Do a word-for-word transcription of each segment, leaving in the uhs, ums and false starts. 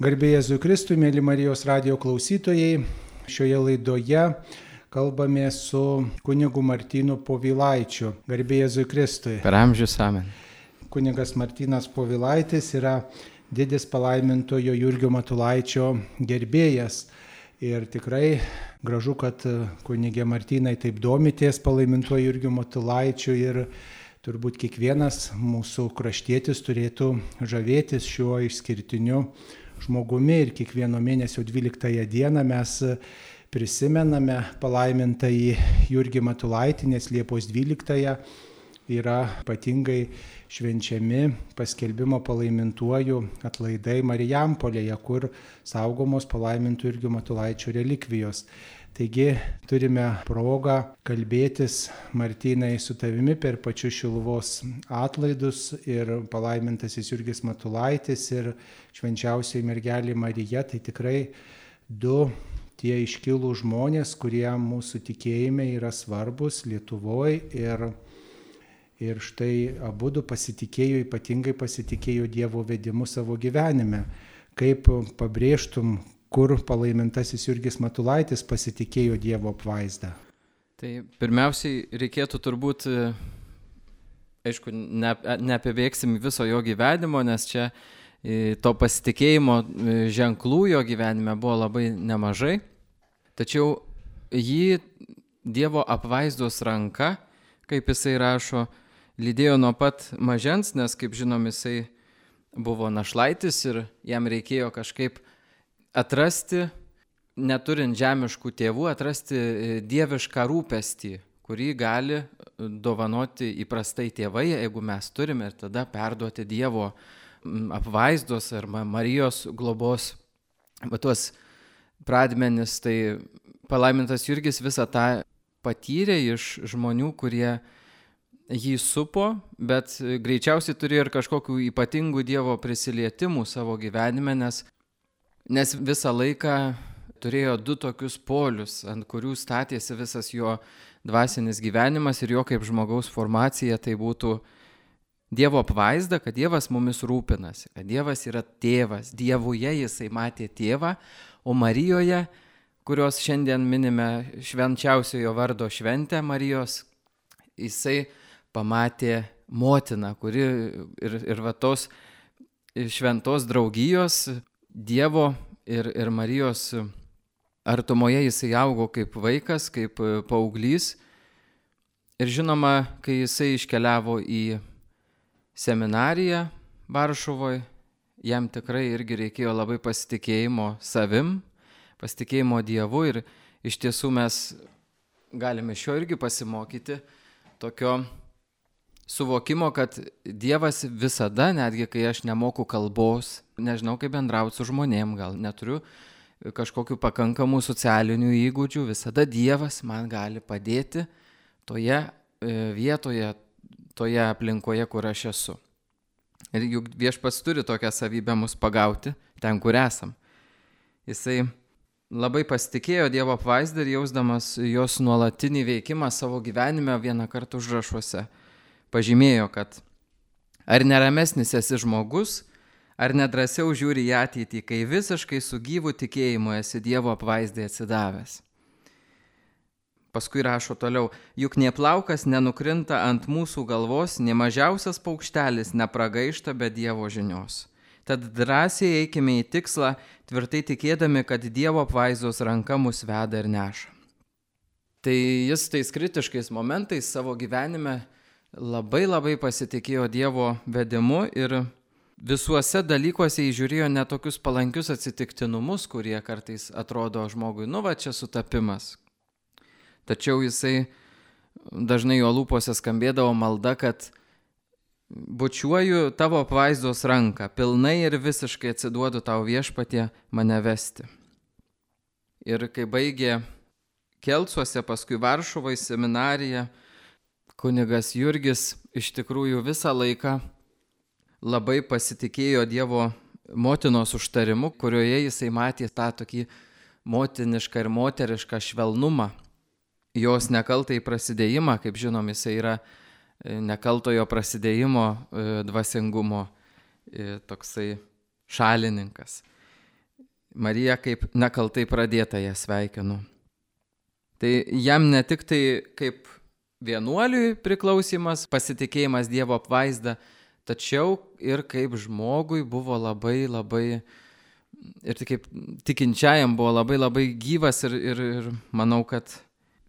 Garbė Jėzui Kristui, mėly Marijos radijo klausytojai, šioje laidoje kalbame su kunigu Martynu Povilaičiu. Garbė Jėzui Kristui. Per amžius amen. Kunigas Martynas Povilaitis yra didis palaimintojo Jurgio Matulaičio gerbėjas. Ir tikrai gražu, kad kunigė Martynai taip domitės palaimintojo Jurgio Matulaičiu ir turbūt kiekvienas mūsų kraštietis turėtų žavėtis šiuo išskirtiniu žmogumi ir kiekvieno mėnesio dvyliktąją dieną mes prisimename palaimintąjį Jurgį Matulaitį, nes Liepos dvyliktąją yra ypatingai švenčiami paskelbimo palaimintuoju atlaidai Marijampolėje, kur saugomos palaimintų Jurgio Matulaičio relikvijos. Taigi turime progą kalbėtis, Martynai, su tavimi per pačius Šiluvos atlaidus ir palaimintasis Jurgis Matulaitis ir švenčiausioji mergelė Marija. Tai tikrai du tie iškilų žmonės, kurie mūsų tikėjime yra svarbus Lietuvoje ir, ir štai abudu pasitikėjo, ypatingai pasitikėjo Dievo vedimu savo gyvenime. Kaip pabrėžtum, kur palaimintasis Jurgis Matulaitis pasitikėjo Dievo apvaizdą? Tai pirmiausiai reikėtų turbūt, aišku, ne, neapibėgsim viso jo gyvenimo, nes čia to pasitikėjimo ženklų jo gyvenime buvo labai nemažai. Tačiau jį Dievo apvaizdos ranka, kaip jisai rašo, lydėjo nuo pat mažens, nes, kaip žinom, jisai buvo našlaitis ir jam reikėjo kažkaip atrasti, neturint žemiškų tėvų, atrasti dievišką rūpestį, kurį gali dovanoti įprastai tėvai, jeigu mes turime, ir tada perduoti Dievo apvaizdos ar Marijos globos tuos pradmenis. Tai palaimintas Jurgis visą tą patyrė iš žmonių, kurie jį supo, bet greičiausiai turėjo ir kažkokių ypatingų Dievo prisilietimų savo gyvenime, nes Nes visą laiką turėjo du tokius polius, ant kurių statėsi visas jo dvasinis gyvenimas ir jo kaip žmogaus formacija. Tai būtų Dievo apvaizda, kad Dievas mumis rūpinasi, kad Dievas yra tėvas. Dievuje jisai matė tėvą, o Marijoje, kurios šiandien minime švenčiausiojo vardo šventę Marijos, jisai pamatė motiną, kuri ir, ir va tos šventos draugijos Dievo ir, ir Marijos artumoje jisai augo kaip vaikas, kaip paauglys. Ir žinoma, kai jisai iškeliavo į seminariją Varšuvoje, jam tikrai irgi reikėjo labai pasitikėjimo savim, pasitikėjimo Dievu. Ir iš tiesų mes galime iš jo irgi pasimokyti tokio suvokimo, kad Dievas visada, netgi kai aš nemoku kalbos, nežinau kaip bendrauti su žmonėm, gal neturiu kažkokių pakankamų socialinių įgūdžių, visada Dievas man gali padėti toje vietoje, toje aplinkoje, kur aš esu. Ir juk Viešpats turi tokią savybę mus pagauti ten, kur esam. Jisai labai pasitikėjo Dievo apvaizdą ir jausdamas jos nuolatinį veikimą savo gyvenime vieną kartą užrašuose pažymėjo, kad ar neramesnis esi žmogus, ar nedrąsiau žiūri į ateitį, kai visiškai su gyvu tikėjimu esi Dievo apvaizdai atsidavęs. Paskui rašo toliau, juk nė plaukas nenukrinta ant mūsų galvos, nė mažiausias paukštelis nepragaišta be Dievo žinios. Tad drąsiai eikime į tikslą, tvirtai tikėdami, kad Dievo apvaizdos ranka mus veda ir neša. Tai jis tais kritiškais momentais savo gyvenime labai labai pasitikėjo Dievo vedimu ir visuose dalykuose įžiūrėjo ne tokius palankius atsitiktinumus, kurie kartais atrodo žmogui, nu va čia sutapimas. Tačiau jisai dažnai jo lūpose skambėdavo malda, kad bučiuoju tavo apvaizdos ranką, pilnai ir visiškai atsiduodu tau Viešpatie mane vesti. Ir kai baigė Kelcuose, paskui Varšuvoje seminariją, kunigas Jurgis iš tikrųjų visą laiką labai pasitikėjo Dievo motinos užtarimu, kurioje jisai matė tą tokį motinišką ir moterišką švelnumą. Jos nekaltai prasidėjimą, kaip žinom, jisai yra nekaltojo prasidėjimo dvasingumo toksai šalininkas. Mariją kaip nekaltai pradėtąją sveikinu. Tai jam ne tik tai kaip vienuoliui priklausimas, pasitikėjimas Dievo apvaizda, tačiau ir kaip žmogui buvo labai labai, ir kaip tikinčiajam buvo labai labai gyvas ir, ir, ir manau, kad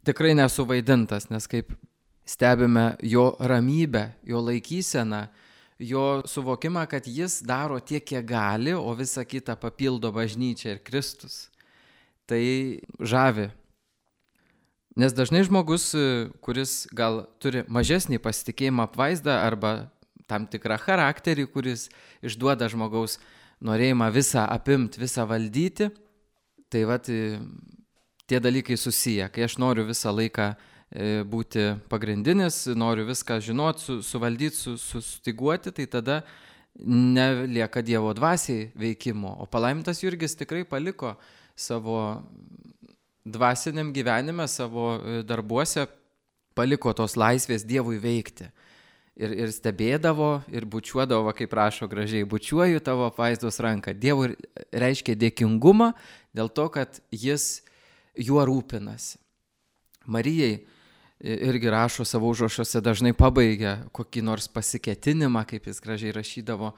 tikrai nesuvaidintas, nes kaip stebime jo ramybę, jo laikyseną, jo suvokimą, kad jis daro tiek, kiek gali, o visą kitą papildo bažnyčia ir Kristus. Tai žavi. Nes dažnai žmogus, kuris gal turi mažesnį pasitikėjimą apvaizdą arba tam tikrą charakterį, kuris išduoda žmogaus norėjimą visą apimti, visą valdyti, tai vat tie dalykai susiję. Kai aš noriu visą laiką būti pagrindinis, noriu viską žinoti, su, suvaldyti, su, sustiguoti, tai tada nelieka Dievo dvasiai veikimo. O palaimintas Jurgis tikrai paliko savo dvasiniam gyvenime, savo darbuose, paliko tos laisvės Dievui veikti. Ir, ir stebėdavo, ir bučiuodavo, kaip rašo gražiai, bučiuoju tavo apvaizdos ranką. Dievui reiškia dėkingumą dėl to, kad jis juo rūpinasi. Marijai irgi rašo savo užrašuose, dažnai pabaigia kokį nors pasiketinimą, kaip jis gražiai rašydavo,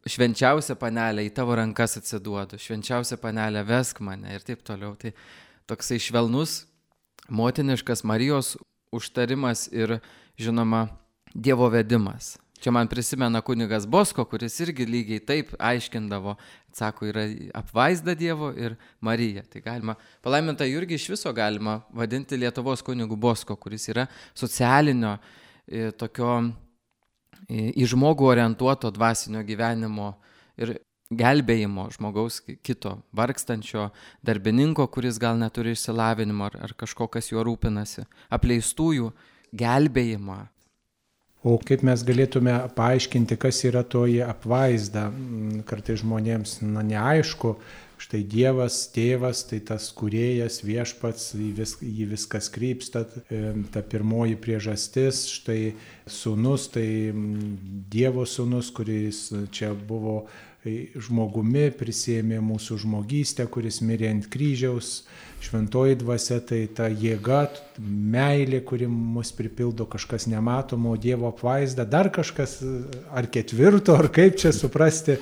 švenčiausia panelė, į tavo rankas atsiduodu, švenčiausia panelė, vesk mane ir taip toliau. Tai toksai švelnus, motiniškas Marijos užtarimas ir, žinoma, Dievo vedimas. Čia man prisimena kunigas Bosko, kuris irgi lygiai taip aiškindavo, sako, yra apvaizda Dievo ir Marija. Tai galima, palaimintą Jurgį iš viso galima vadinti Lietuvos kunigu Bosko, kuris yra socialinio, tokio į žmogų orientuoto dvasinio gyvenimo ir gelbėjimo žmogaus kito, vargstančio darbininko, kuris gal neturi išsilavinimo ar, ar kažko, kas juo rūpinasi, apleistųjų gelbėjimą. O kaip mes galėtume paaiškinti, kas yra toji apvaizda? Kartais žmonėms na, neaišku, štai Dievas, tėvas, tai tas kūrėjas, viešpats, jį, vis, jį viskas krypsta, ta pirmoji priežastis, štai sūnus, tai Dievo sūnus, kuris čia buvo žmogumi, prisėmė mūsų žmogystę, kuris mirė ant kryžiaus, šventoji dvasia, tai ta jėga, meilė, kuri mus pripildo, kažkas nematomo, Dievo apvaizda, dar kažkas, ar ketvirto, ar kaip čia suprasti,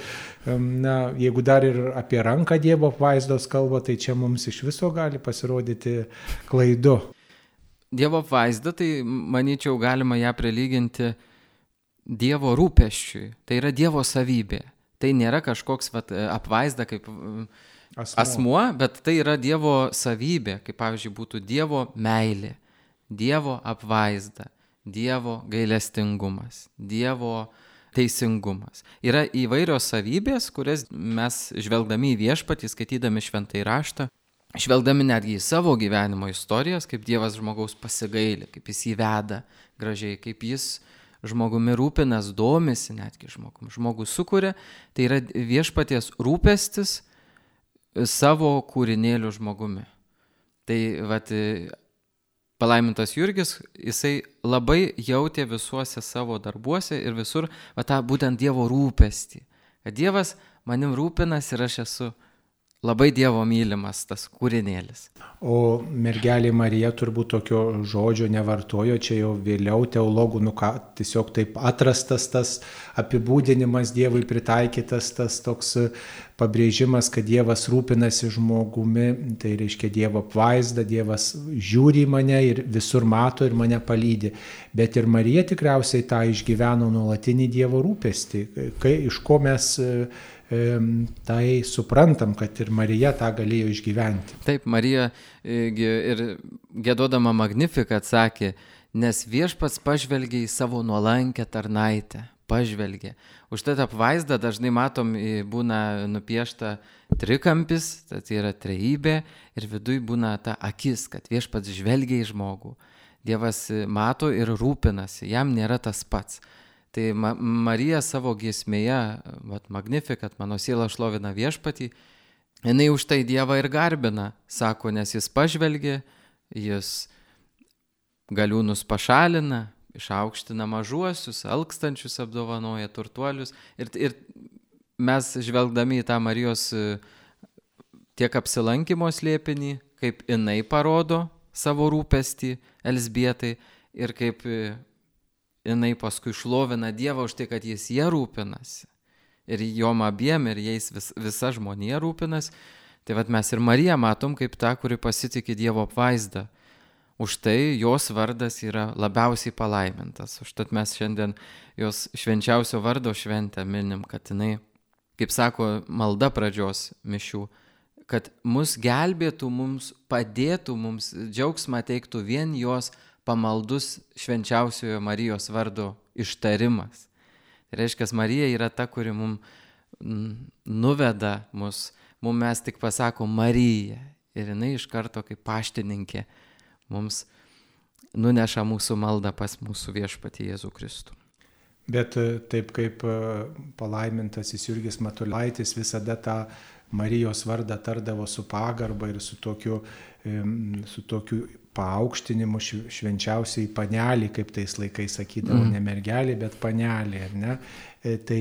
na, jeigu dar ir apie ranką Dievo apvaizdos kalba, tai čia mums iš viso gali pasirodyti klaidu. Dievo apvaizda, tai manyčiau galima ją prilyginti Dievo rūpesčiui, tai yra Dievo savybė. Tai nėra kažkoks vat, apvaizda kaip asmuo. asmuo, bet tai yra Dievo savybė, kaip pavyzdžiui būtų Dievo meilė, Dievo apvaizda, Dievo gailestingumas, Dievo teisingumas. Yra įvairios savybės, kurias mes žvelgdami į viešpatį, skaitydami šventąjį raštą, žvelgdami netgi į savo gyvenimo istorijas, kaip Dievas žmogaus pasigaili, kaip jis jį veda gražiai, kaip jis žmogumi rūpinas, domisi netgi žmogum. Žmogus sukuria, tai yra viešpaties rūpestis savo kūrinėlių žmogumi. Tai vat, palaimintas Jurgis, jisai labai jautė visuose savo darbuose ir visur va, tą būtent Dievo rūpestį. Kad Dievas manim rūpinas ir aš esu labai Dievo mylimas tas kūrinėlis. O mergelė Marija turbūt tokio žodžio nevartojo, čia jau vėliau teologų, nu ką, tiesiog taip atrastas tas apibūdinimas Dievui pritaikytas, tas toks pabrėžimas, kad Dievas rūpinasi žmogumi, tai reiškia Dievo apvaizda, Dievas žiūri į mane ir visur mato ir mane palydi. Bet ir Marija tikriausiai tą išgyveno nuolatinį Dievo rūpestį, kai, iš ko mes tai suprantam, kad ir Marija tą galėjo išgyventi. Taip, Marija ir giedodama Magnificat sakė, nes viešpats pažvelgė į savo nuolankę tarnaitę, pažvelgė. Už tai apvaizdą dažnai matom, būna nupiešta trikampis, tai yra trejybė ir viduj būna ta akis, kad viešpats žvelgia į žmogų. Dievas mato ir rūpinasi, jam nėra tas pats. Tai Ma- Marija savo giesmėje, vat, Magnificat, mano siela šlovina viešpatį, jinai už tai Dievą ir garbina, sako, nes jis pažvelgia, jis galiūnus pašalina, išaukština mažuosius, alkstančius apdovanoja, turtuolius. Ir, ir mes žvelgdami į tą Marijos tiek apsilankimo slėpinį, kaip jinai parodo savo rūpestį Elzbietai ir kaip jinai paskui šlovina Dievą už tai, kad jis jie rūpinasi. Ir jom abiem, ir jais vis, visa žmonija rūpinasi. Tai vat mes ir Mariją matom kaip tą, kuri pasitikė Dievo apvaizdą. Už tai jos vardas yra labiausiai palaimintas. Užtat mes šiandien jos švenčiausio vardo šventę minim, kad jinai, kaip sako malda pradžios mišių, kad mus gelbėtų, mums padėtų, mums džiaugsmą teiktų vien jos pamaldus švenčiausiojo Marijos vardo ištarimas. Tai reiškia, Marija yra ta, kuri mums nuveda mus, mums mes tik pasakom Marija ir jinai iš karto kaip paštininkė mums nuneša mūsų maldą pas mūsų viešpatį Jėzų Kristų. Bet taip kaip palaimintasis Jurgis Matulaitis visada tą Marijos vardą tardavo su pagarba ir su tokiu, su tokiu paaukštinimu švenčiausiai panelį, kaip tais laikais sakydavo, mm. ne mergelį, bet panelį, ar ne? Tai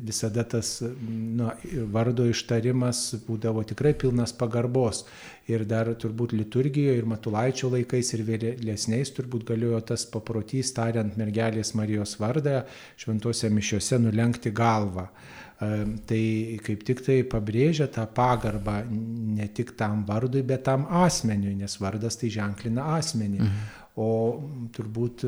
visada tas nu, vardo ištarimas būdavo tikrai pilnas pagarbos. Ir dar turbūt liturgijoje ir Matulaičio laikais ir vėlesniais turbūt galėjo tas paprotys, tariant mergelės Marijos vardą, šventose mišiose nulenkti galvą. Tai kaip tik tai pabrėžia tą pagarbą ne tik tam vardui, bet tam asmeniui, nes vardas tai ženklina asmenį. Mhm. O turbūt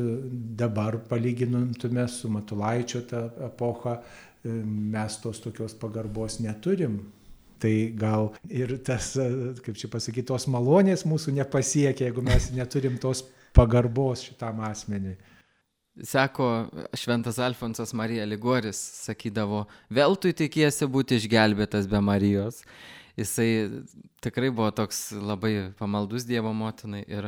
dabar palygintume su Matulaičio tą epochą, mes tos tokios pagarbos neturim. Tai gal ir tas, kaip čia pasakyti, tos malonės mūsų nepasiekia, jeigu mes neturim tos pagarbos šitam asmeniui. Sako šventas Alfonsas Marija Ligoris, sakydavo, veltui tikiesi būti išgelbėtas be Marijos. Jisai tikrai buvo toks labai pamaldus Dievo motinai ir,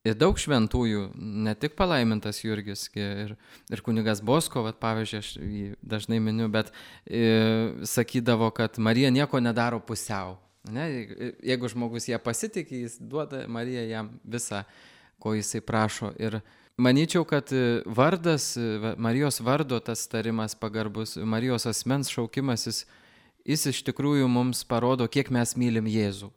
ir daug šventųjų, ne tik palaimintas Jurgis ir, ir kunigas Bosko, vat, pavyzdžiui, aš jį dažnai miniu, bet e, sakydavo, kad Marija nieko nedaro pusiau. Ne? Jeigu žmogus ją pasitikė, jis duoda Mariją jam visą, ko jisai prašo. Ir manyčiau, kad vardas, Marijos vardo tas tarimas pagarbus, Marijos asmens šaukimas, jis, jis iš tikrųjų mums parodo, kiek mes mylim Jėzų.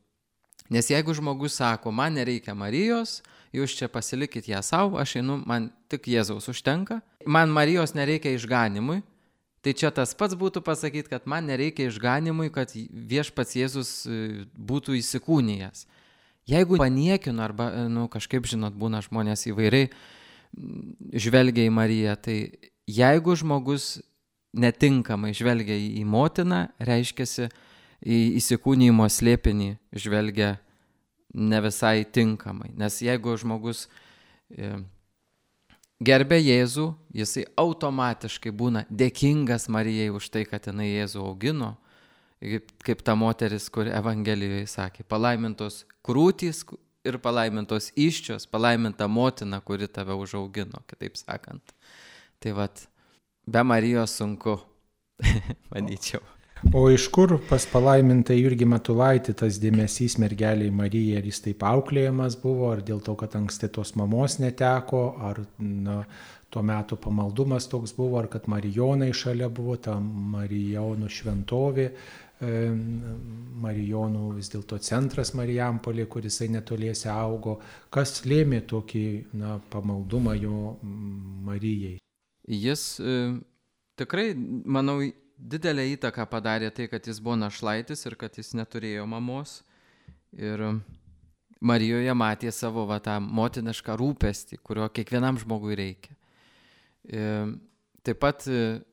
Nes jeigu žmogus sako, man nereikia Marijos, jūs čia pasilikit ją savo, aš einu, man tik Jėzaus užtenka, man Marijos nereikia išganimui, tai čia tas pats būtų pasakyti, kad man nereikia išganimui, kad viešpats Jėzus būtų įsikūnijęs. Jeigu paniekinu arba, nu, kažkaip, žinot, būna žmonės įvairiai žvelgia į Mariją, tai jeigu žmogus netinkamai žvelgia į motiną, reiškiasi į įsikūnijimo slėpinį žvelgia ne visai tinkamai. Nes jeigu žmogus gerbia Jėzų, jisai automatiškai būna dėkingas Marijai už tai, kad jinai Jėzų augino, kaip, kaip ta moteris, kur Evangelijoje sakė, palaimintos krūtys ir palaimintos įsčios, palaiminta motina, kuri tave užaugino, kitaip sakant. Tai vat, be Marijos sunku, manyčiau. O iš kur pas palaimintą Jurgį Matulaitį tas dėmesys mergeliai Marijai, ar jis taip auklėjamas buvo, ar dėl to, kad anksti tos mamos neteko, ar na, tuo metu pamaldumas toks buvo, ar kad Marijonai šalia buvo, ta Marijonų šventovė, Marijonų vis dėlto centras Marijampolė, kuris netoliese augo. Kas lėmė tokį na, pamaldumą jo Marijai? Jis e, tikrai, manau, didelę įtaką padarė tai, kad jis buvo našlaitis ir kad jis neturėjo mamos. Ir Marijoje matė savo va, tą motinišką rūpestį, kurio kiekvienam žmogui reikia. E, taip pat e,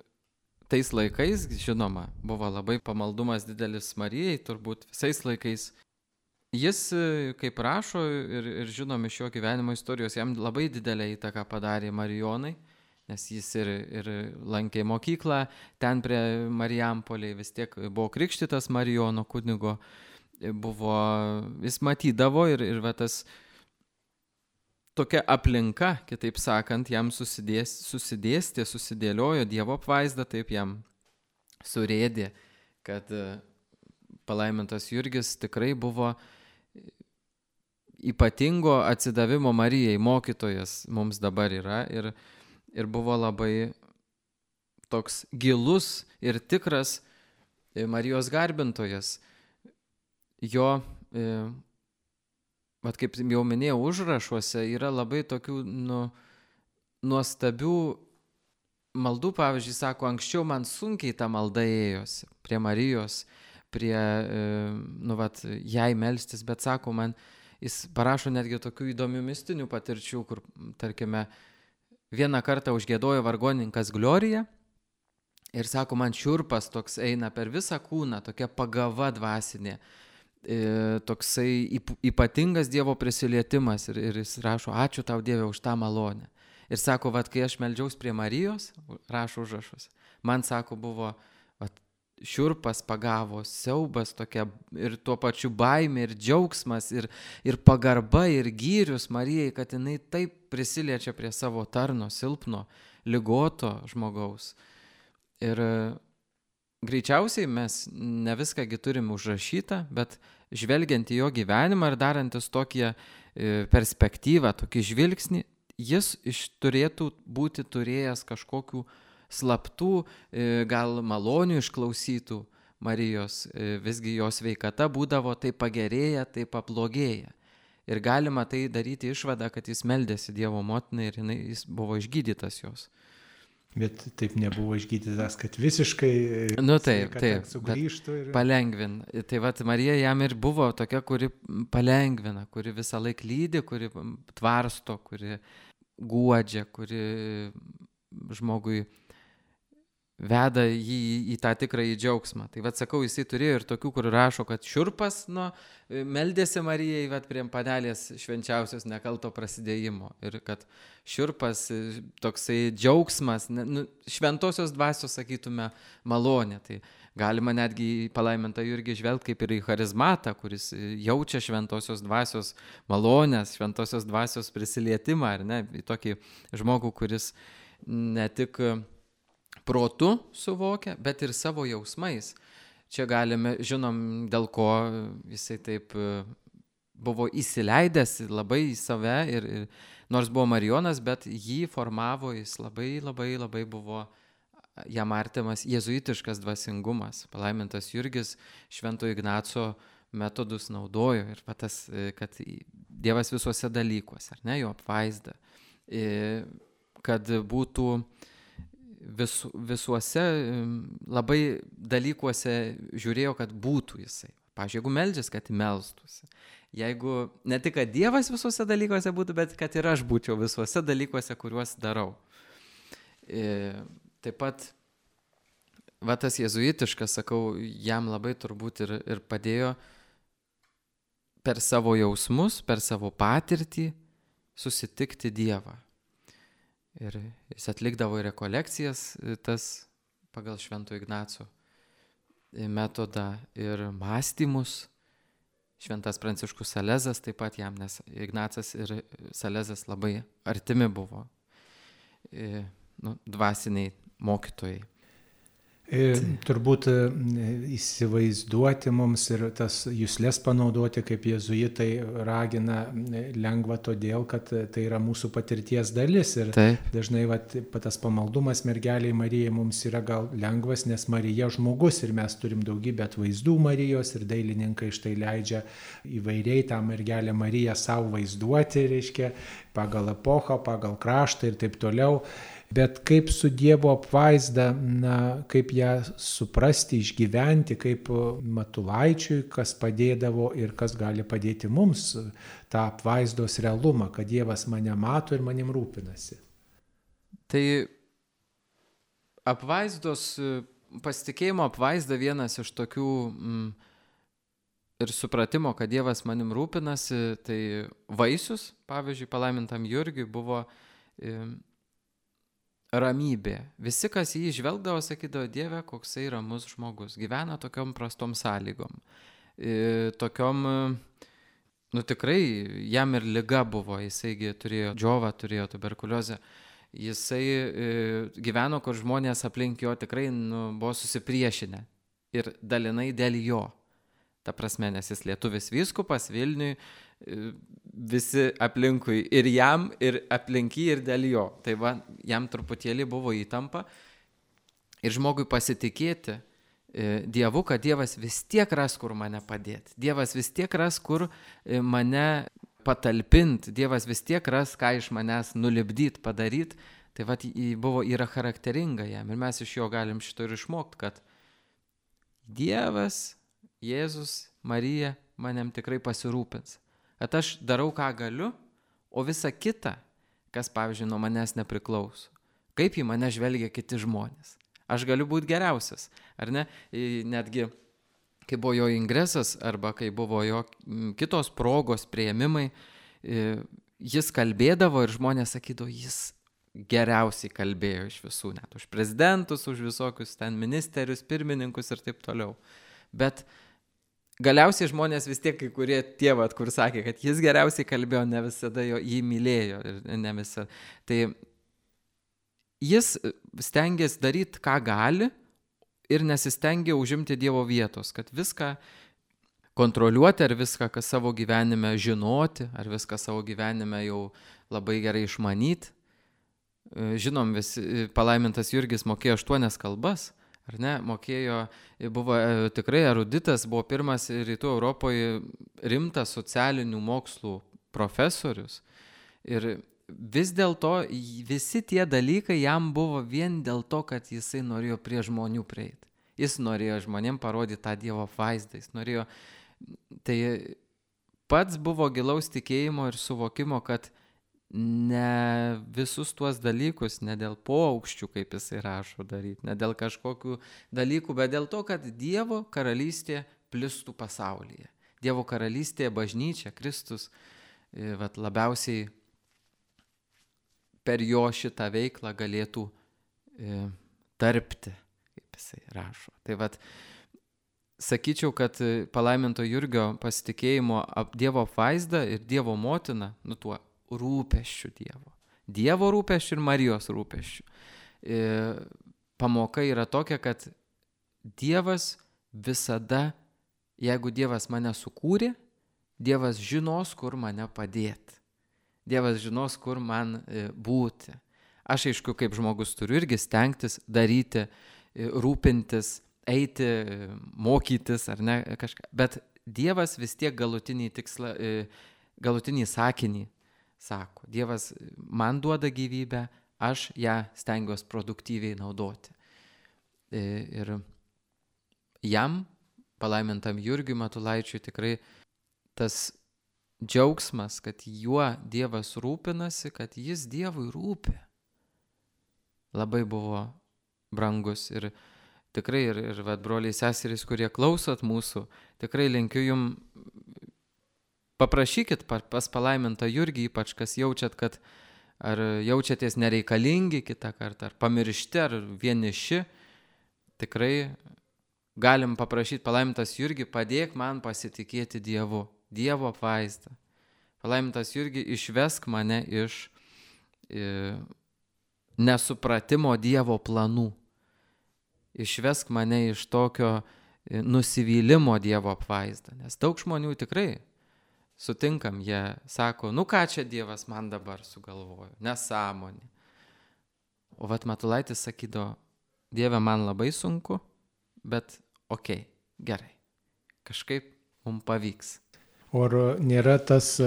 tais laikais, žinoma, buvo labai pamaldumas didelis Marijai, turbūt visais laikais. Jis, kaip rašo ir, ir žinom iš jo gyvenimo istorijos, jam labai didelę įtaką padarė Marijonai, nes jis ir, ir lankė mokyklą, ten prie Marijampolėje vis tiek buvo krikštytas Marijono kunigo, buvo, jis matydavo ir, ir va, tas tokia aplinka, kitaip sakant, jam susidės, susidėstė, susidėliojo Dievo apvaizda, taip jam surėdė, kad palaimintas Jurgis tikrai buvo ypatingo atsidavimo Marijai mokytojas mums dabar yra ir, ir buvo labai toks gilus ir tikras Marijos garbintojas. jo, e, vat kaip jau minėjau, užrašuose yra labai tokių nu, nuostabių maldų. Pavyzdžiui, sako, anksčiau man sunkiai ta malda ėjosi prie Marijos, prie, e, nu, vat, jai melstis, bet sako, man jis parašo netgi tokių įdomių mistinių patirčių, kur, tarkime, vieną kartą užgiedojo vargonininkas Gloriją ir sako, man šiurpas toks eina per visą kūną, tokia pagava dvasinė, e, toksai ypatingas Dievo prisilietimas ir, ir jis rašo, ačiū tau Dieve už tą malonę. Ir sako, vat, kai aš meldžiaus prie Marijos, rašo užrašus, man sako, buvo vat, šiurpas pagavo, siaubas tokia ir tuo pačiu baimė ir džiaugsmas ir, ir pagarba ir gyrius Marijai, kad jinai taip prisiliečia prie savo tarno, silpno, ligoto žmogaus. Ir greičiausiai mes ne viskągi turim užrašytą, bet žvelgiant į jo gyvenimą ir darantis tokią perspektyvą, tokį žvilgsnį, jis iš turėtų būti turėjęs kažkokių slaptų, gal malonių išklausytų Marijos, visgi jos sveikata būdavo tai pagerėja, tai pablogėja. Ir galima tai daryti išvadą, kad jis meldėsi Dievo motinai ir jinai, jis buvo išgydytas jos. Bet taip nebuvo išgydytas, kad visiškai nu, taip, taip, sugrįžtų. Ir... palengvina. Tai vat Marija jam ir buvo tokia, kuri palengvina, kuri visą laiką lydi, kuri tvarsto, kuri guodžia, kuri žmogui veda jį į tą tikrąjį džiaugsmą. Tai vat sakau, jisai turėjo ir tokių, kur rašo, kad šiurpas nu, meldėsi Marijai vat, prie padelės švenčiausios nekalto prasidėjimo. Ir kad šiurpas, toksai džiaugsmas, nu, šventosios dvasios, sakytume, malonė. Tai galima netgi į palaimintą Jurgį žvelgti kaip ir į charizmatą, kuris jaučia šventosios dvasios malonės, šventosios dvasios prisilietimą, ar ne, į tokį žmogų, kuris ne tik protu suvokia, bet ir savo jausmais. Čia galime, žinom, dėl ko jisai taip buvo įsileidęs labai į save ir, ir nors buvo Marijonas, bet jį formavo, jis labai, labai, labai buvo jam artimas jėzuitiškas dvasingumas. Palaimintas Jurgis Švento Ignaco metodus naudojo ir tas, kad Dievas visuose dalykuose, ar ne, jo apvaizda, kad būtų vis, visuose labai dalykuose žiūrėjo, kad būtų jisai. Pavyzdžiui, jeigu meldžias, kad melstųsi. Jeigu ne tik, kad Dievas visuose dalykuose būtų, bet kad ir aš būčiau visuose dalykuose, kuriuos darau. E, taip pat, va tas jėzuitiškas, sakau, jam labai turbūt ir, ir padėjo per savo jausmus, per savo patirtį susitikti Dievą. Ir jis atlikdavo rekolekcijas tas pagal Švento Ignaco metodą ir mąstymus. Šventas Pranciškus Salezas taip pat jam, nes Ignacas ir Salezas labai artimi buvo, nu, dvasiniai mokytojai. E, turbūt įsivaizduoti mums ir tas juslės panaudoti, kaip jėzuitai ragina, lengva todėl, kad tai yra mūsų patirties dalis. Ir Taip. dažnai vat, tas pamaldumas mergeliai Marijai mums yra gal lengvas, nes Marija žmogus ir mes turim daugybę atvaizdų Marijos ir dailininkai štai leidžia įvairiai tą mergelę Mariją savo vaizduoti, reiškia, pagal epochą, pagal kraštą ir taip toliau. Bet kaip su Dievo apvaizda, na, kaip ją suprasti, išgyventi, kaip Matulaičiui, kas padėdavo ir kas gali padėti mums tą apvaizdos realumą, kad Dievas mane mato ir manim rūpinasi. Tai apvaizdos, pasitikėjimo apvaizda vienas iš tokių mm, ir supratimo, kad Dievas manim rūpinasi, tai vaisius, pavyzdžiui, palaimintam Jurgiui buvo mm, ramybė. Visi, kas jį žvelgdavo, sakydavo, Dieve, koksai ramus žmogus. Gyvena tokiom prastom sąlygom. E, tokiom, nu tikrai, jam ir liga buvo. Jisaigi turėjo džiovą, turėjo tuberkuliozę. Jisai e, gyveno, kur žmonės aplink jo tikrai nu, buvo susipriešinę. Ir dalinai dėl jo. Ta prasme, nes jis lietuvis vyskupas Vilniui, visi aplinkui ir jam, ir aplinky, ir dėl jo. Tai va, jam truputėlį buvo įtampa. Ir žmogui pasitikėti Dievu, kad Dievas vis tiek ras, kur mane padėti. Dievas vis tiek ras, kur mane patalpinti. Dievas vis tiek ras, ką iš manęs nulipdyti, padaryti. Tai vat buvo, yra charakteringa jam. Ir mes iš jo galim šito ir išmokti, kad Dievas, Jėzus, Marija manim tikrai pasirūpins. Kad aš darau, ką galiu, o visa kita, kas, pavyzdžiui, nuo manęs nepriklauso. Kaip į mane žvelgia kiti žmonės. Aš galiu būti geriausias, ar ne? Netgi, kai buvo jo ingresas, arba kai buvo jo kitos progos, priėmimai, jis kalbėdavo ir žmonės sakydavo, jis geriausiai kalbėjo iš visų, net už prezidentus, už visokius ten ministerius, pirmininkus ir taip toliau. Bet galiausiai žmonės vis tiek, kai kurie tie, vat, kur sakė, kad jis geriausiai kalbėjo, ne visada jo jį mylėjo ir ne visada. Tai jis stengiasi daryti, ką gali ir nesistengia užimti Dievo vietos, kad viską kontroliuoti ar viską, kas savo gyvenime žinoti, ar viską savo gyvenime jau labai gerai išmanyti. Žinom, visi, palaimintas Jurgis mokėjo aštuonias kalbas, ar ne, mokėjo, buvo tikrai eruditas, buvo pirmas rytų Europoje rimtas socialinių mokslų profesorius. Ir vis dėlto visi tie dalykai jam buvo vien dėl to, kad jisai norėjo prie žmonių prieiti. Jis norėjo žmonėm parodyti tą Dievo vaizdą. Jis norėjo, tai pats buvo gilaus tikėjimo ir suvokimo, kad ne visus tuos dalykus, ne dėl poaukščių, kaip jisai rašo daryti, ne dėl kažkokių dalykų, bet dėl to, kad Dievo karalystė plistų pasaulyje. Dievo karalystė, bažnyčia, Kristus, vat, labiausiai per jo šitą veiklą galėtų e, tarpti, kaip jisai rašo. Tai vat, sakyčiau, kad palaiminto Jurgio pasitikėjimo Dievo apvaizda ir Dievo motina, nu tuo rūpesčiu Dievo. Dievo rūpesčiu ir Marijos rūpesčiu. E, pamoka yra tokia, kad Dievas visada, jeigu Dievas mane sukūrė, Dievas žinos, kur mane padėti. Dievas žinos, kur man būti. Aš, aišku, kaip žmogus turiu irgi stengtis, daryti, rūpintis, eiti, mokytis ar ne kažką. Bet Dievas vis tiek galutinį tikslą, galutinį sakinį sako. Dievas man duoda gyvybę, aš ją stengiuosi produktyviai naudoti. Ir jam, palaimintam Jurgiui Matulaičiui, tikrai tas džiaugsmas, kad juo Dievas rūpinasi, kad jis Dievui rūpi, labai buvo brangus. Ir tikrai, ir, ir vat, broliai seserys, kurie klausot mūsų, tikrai linkiu jum, paprašykit pas palaimintą Jurgį, ypač kas jaučiat, kad ar jaučiatės nereikalingi kitą kartą, ar pamiršti, ar vieniši, tikrai galim paprašyti palaimintas Jurgį, padėk man pasitikėti Dievu. Dievo apvaizda. Palaimintas Jurgi, išvesk mane iš e, nesupratimo Dievo planų. Išvesk mane iš tokio e, nusivylimo Dievo apvaizdą. Nes daug žmonių tikrai sutinkam, jie sako, nu ką čia Dievas man dabar sugalvojo, nesąmonė. O vat Matulaitis sakydavo, Dieve, man labai sunku, bet okei, okay, gerai, kažkaip mums pavyks. Ar nėra tas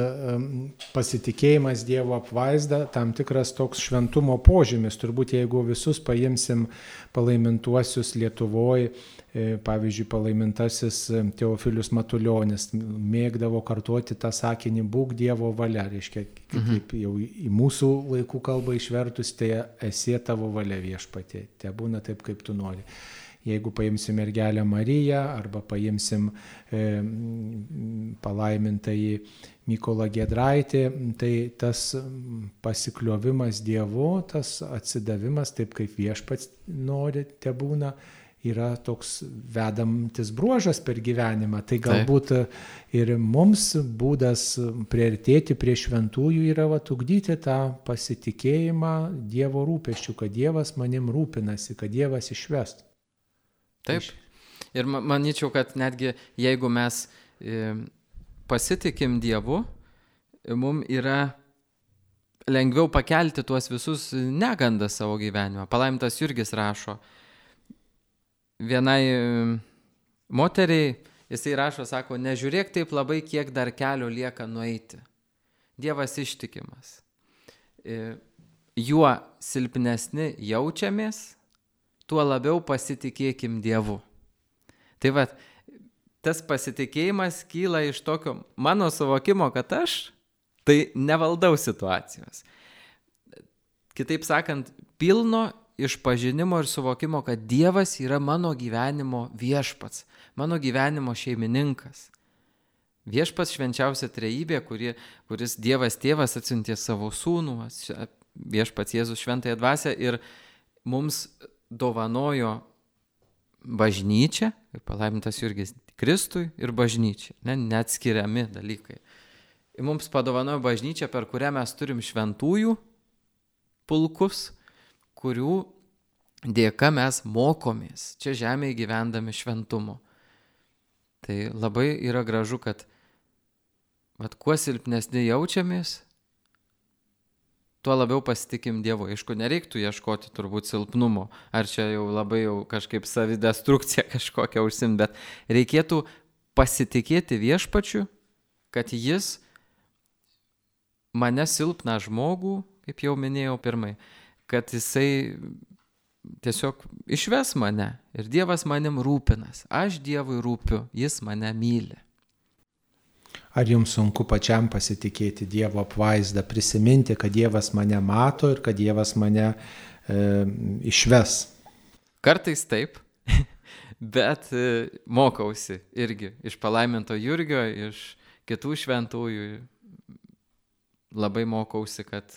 pasitikėjimas Dievo apvaizda tam tikras toks šventumo požymis? Turbūt jeigu visus paimsim palaimintuosius Lietuvoje, pavyzdžiui, palaimintasis Teofilius Matulionis mėgdavo kartuoti tą sakinį būk Dievo valia, reiškia, kaip jau į mūsų laikų kalbą išvertus, tai esi tavo valia viešpatie, te būna taip, kaip tu nori. Jeigu paimsim mergelę Mariją arba paimsim e, palaimintąjį Mykolą Giedraitį, tai tas pasikliovimas Dievu, tas atsidavimas, taip kaip viešpats nori, te būna, yra toks vedantis bruožas per gyvenimą. Tai galbūt ir mums būdas priartėti prie šventųjų yra vat, ugdyti tą pasitikėjimą Dievo rūpesčių, kad Dievas manim rūpinasi, kad Dievas išvest. Taip. Ir manyčiau, kad netgi jeigu mes e, pasitikim Dievu, mums yra lengviau pakelti tuos visus negandas savo gyvenimą. Palaimintas Jurgis rašo, vienai moteriai, jisai rašo, sako, nežiūrėk taip labai, kiek dar kelio lieka nueiti. Dievas ištikimas. Juo silpnesni jaučiamės, tuo labiau pasitikėkim Dievu. Tai va, tas pasitikėjimas kyla iš tokio mano suvokimo, kad aš tai nevaldau situacijos. Kitaip sakant, pilno išpažinimo ir suvokimo, kad Dievas yra mano gyvenimo viešpats, mano gyvenimo šeimininkas. Viešpats švenčiausia trejybė, kuri, kuris Dievas tėvas atsiuntė savo sūnų, viešpats Jėzus šventąją dvasią ir mums dovanojo bažnyčią, ir palaimintas Jurgis Kristui ir bažnyčiai, ne, neatskiriami dalykai. Ir mums padovanojo bažnyčią, per kurią mes turim šventųjų pulkus, kurių dėka mes mokomės čia žemėje gyvendami šventumo. Tai labai yra gražu, kad vat, kuo silpnesni jaučiamės, tuo labiau pasitikim Dievu. Aišku, nereiktų ieškoti turbūt silpnumo, ar čia jau labai jau kažkaip savidestrukcija kažkokia užsimt, bet reikėtų pasitikėti viešpačiu, kad jis mane silpną žmogų, kaip jau minėjau pirmai, kad jisai tiesiog išves mane ir Dievas manim rūpinas. Aš Dievui rūpiu, jis mane myli. Ar jums sunku pačiam pasitikėti Dievo apvaizdą, prisiminti, kad Dievas mane mato ir kad Dievas mane e, išves? Kartais taip, bet e, mokausi irgi iš palaiminto Jurgio, iš kitų šventųjų. Labai mokausi, kad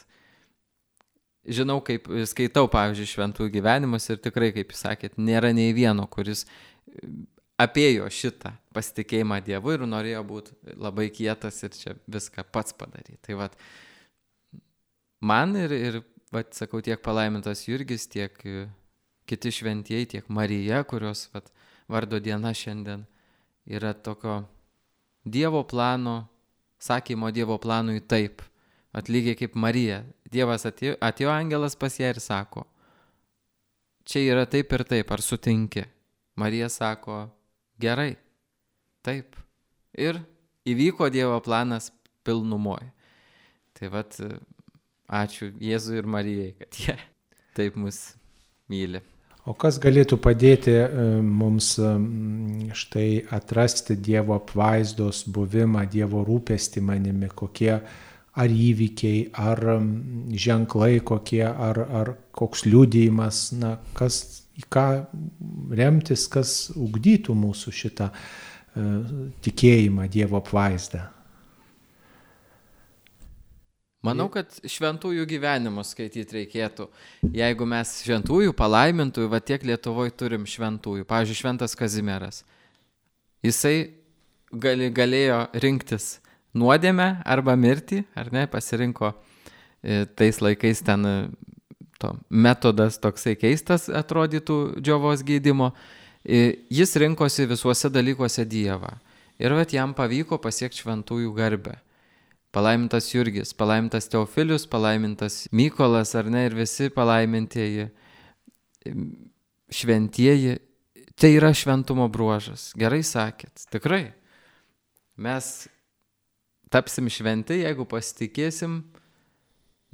žinau, kaip skaitau, pavyzdžiui, šventųjų gyvenimus ir tikrai, kaip jūs sakėt, nėra nei vieno, kuris apėjo šitą pasitikėjimą Dievu ir norėjo būti labai kietas ir čia viską pats padaryti. Tai vat, man ir, ir vat, sakau, tiek palaimintas Jurgis, tiek kiti šventieji, tiek Marija, kurios vat, vardo diena šiandien yra tokio Dievo plano, sakymo Dievo planui taip. Atlygiai kaip Marija. Dievas atėjo, atėjo angelas pas ją ir sako, čia yra taip ir taip, ar sutinki? Marija sako, gerai, taip. Ir įvyko Dievo planas pilnumoje. Tai vat, ačiū Jėzui ir Marijai, kad jie taip mus myli. O kas galėtų padėti mums štai atrasti Dievo apvaizdos buvimą, Dievo rūpestį manimi, kokie ar įvykiai, ar ženklai kokie, ar, ar koks liudijimas, na, kas, į ką remtis, kas ugdytų mūsų šitą uh, tikėjimą Dievo apvaizdą. Manau, kad šventųjų gyvenimus skaityti reikėtų. Jeigu mes šventųjų, palaimintųjų, va tiek Lietuvoje turim šventųjų. Pavyzdžiui, šventas Kazimieras. Jisai gali, galėjo rinktis nuodėmę arba mirtį, ar ne, pasirinko e, tais laikais ten to metodas toksai keistas atrodytų džiovos gydymo. E, jis rinkosi visuose dalykuose Dievą. Ir vat jam pavyko pasiekti šventųjų garbę. Palaimintas Jurgis, palaimintas Teofilius, palaimintas Mykolas, ar ne, ir visi palaimintieji šventieji. Tai yra šventumo bruožas. Gerai sakėt, tikrai. Mes tapsim šventi, jeigu pasitikėsim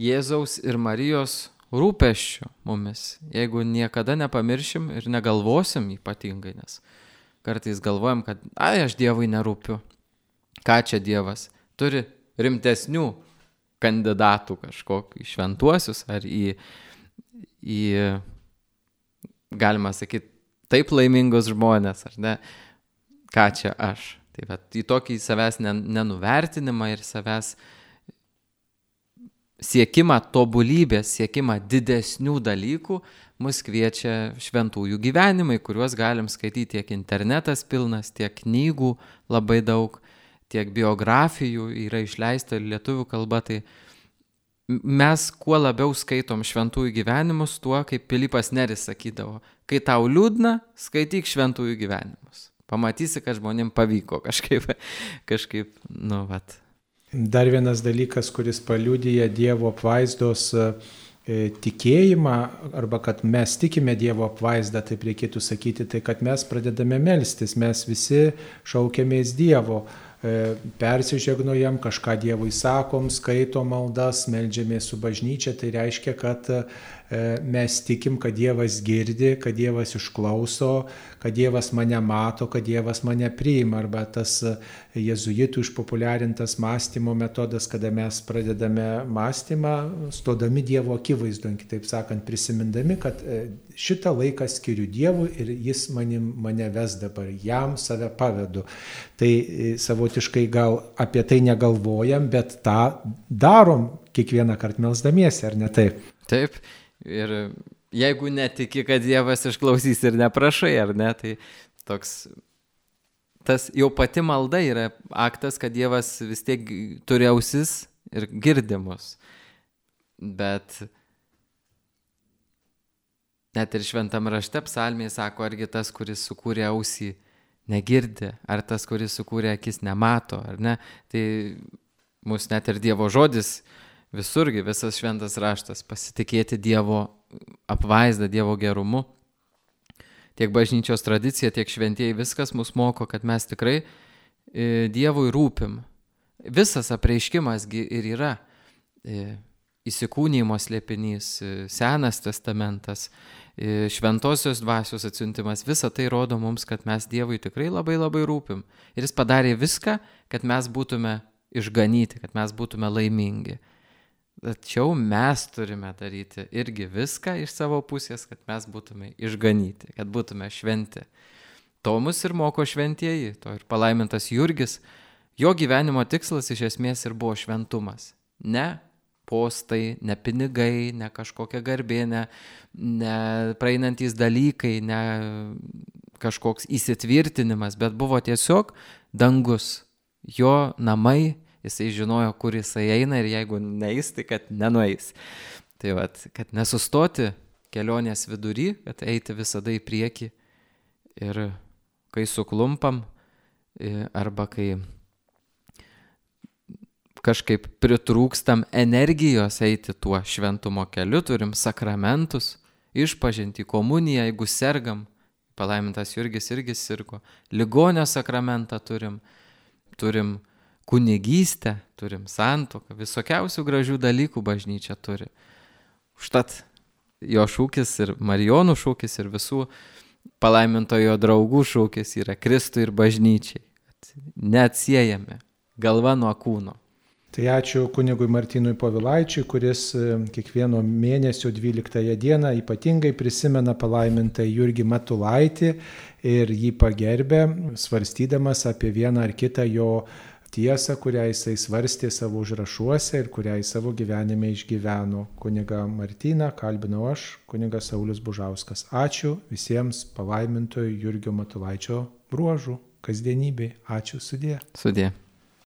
Jėzaus ir Marijos rūpesčių mumis. Jeigu niekada nepamiršim ir negalvosim ypatingai, nes kartais galvojam, kad ai, aš Dievui nerūpiu. Ką čia Dievas? Turi rimtesnių kandidatų kažkokių į šventuosius ar į, į galima sakyti, taip laimingus žmonės, ar ne? Ką čia aš? Tai va, į tokį savęs nenuvertinimą ir savęs siekimą tobulybės, siekimą didesnių dalykų mus kviečia šventųjų gyvenimai, kuriuos galim skaityti tiek internetas pilnas, tiek knygų labai daug, tiek biografijų yra išleista ir lietuvių kalba. Tai mes kuo labiau skaitom šventųjų gyvenimus, tuo, kaip Pilypas Neris sakydavo, kai tau liūdna, skaityk šventųjų gyvenimus. Pamatysi, kad žmonėm pavyko kažkaip, kažkaip, nu, vat. Dar vienas dalykas, kuris paliudija Dievo apvaizdos tikėjimą, arba kad mes tikime Dievo apvaizdą, taip reikėtų sakyti, tai kad mes pradedame melstis, mes visi šaukiamės Dievo, persižegnojam, kažką Dievui sakom, skaitom maldas, meldžiamės su bažnyčia, tai reiškia, kad mes tikim, kad Dievas girdi, kad Dievas išklauso, kad Dievas mane mato, kad Dievas mane priima, arba tas jėzuitų išpopuliarintas mąstymo metodas, kada mes pradedame mąstymą, stodami Dievo akivaizdon, kitaip sakant, prisimindami, kad šitą laiką skiriu Dievui ir jis manim, mane ves dabar, jam save pavedu. Tai savotiškai gal apie tai negalvojam, bet tą darom kiekvieną kartą melsdamiesi, ar ne taip? Taip. Ir jeigu netiki, kad Dievas išklausys ir neprašai, ar ne, tai toks, tas jau pati malda yra aktas, kad Dievas vis tiek turi ausis ir girdi mus. Bet net ir šventam rašte psalmėje sako, argi tas, kuris sukūrė ausį, negirdi, ar tas, kuris sukūrė akis, nemato, ar ne. Tai mus net ir Dievo žodis visurgi, visas šventas raštas, pasitikėti Dievo apvaizdą, Dievo gerumu. Tiek bažnyčios tradicija, tiek šventieji, viskas mus moko, kad mes tikrai e, Dievui rūpim. Visas apreiškimasgi ir yra e, įsikūnijimo slėpinys, e, Senas testamentas, e, šventosios dvasios atsiuntimas. Visa tai rodo mums, kad mes Dievui tikrai labai labai rūpim. Ir jis padarė viską, kad mes būtume išganyti, kad mes būtume laimingi. Tačiau mes turime daryti irgi viską iš savo pusės, kad mes būtume išganyti, kad būtume šventi. To mus ir moko šventieji, to ir palaimintas Jurgis. Jo gyvenimo tikslas iš esmės ir buvo šventumas. Ne postai, ne pinigai, ne kažkokia garbė, ne, ne praeinantys dalykai, ne kažkoks įsitvirtinimas, bet buvo tiesiog dangus, jo namai. Jisai žinojo, kur jisai eina ir jeigu neis, tai kad nenueis. Tai vat, kad nesustoti kelionės vidury, kad eiti visada į priekį. Ir kai suklumpam, arba kai kažkaip pritrūkstam energijos eiti tuo šventumo keliu, turim sakramentus, išpažinti komuniją, jeigu sergam, palaimintas Jurgis irgi sirgo, ligonio sakramentą turim, turim kunigystę, turim santuoką, visokiausių gražių dalykų bažnyčia turi. Užtat jo šūkis ir Marijonų šūkis ir visų palaimintojo draugų šūkis yra Kristui ir bažnyčiai. Neatsiejame galva nuo kūno. Tai ačiū kunigui Martynui Povilaičiui, kuris kiekvieno mėnesio dvyliktąją dieną ypatingai prisimena palaimintąjį Jurgį Matulaitį ir jį pagerbė, svarstydamas apie vieną ar kitą jo tiesą, kurią jisai svarstė savo užrašuose ir kurią į savo gyvenime išgyveno. Kunigą Martyną kalbinau aš, kunigas Saulius Bužauskas. Ačiū visiems palaimintojo Jurgio Matulaičio bruožų kasdienybei. Ačiū, sudie. Sudie.